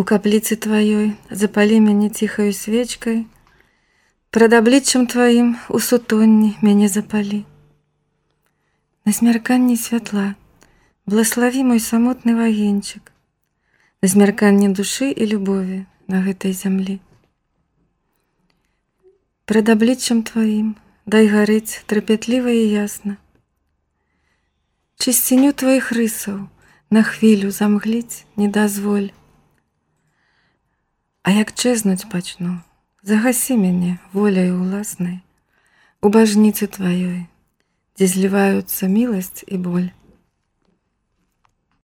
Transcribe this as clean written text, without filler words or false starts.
У капліцы тваёй запалі мяне ціхаю свечкай, прад абліччам тваім у сутонні мяне запалі. На змярканні святла благаславі мой самотны вагенчык, на змярканні душы і любові на гэтай зямлі. Прад абліччам тваім дай гарыць трапятліва і ясна, чысціню тваіх рысаў на хвілю замгліць не дазволь. А як чэзнуць пачну, загасі мяне воляй уласнай у бажніцы тваёй, дзе зліваюцца міласць і боль.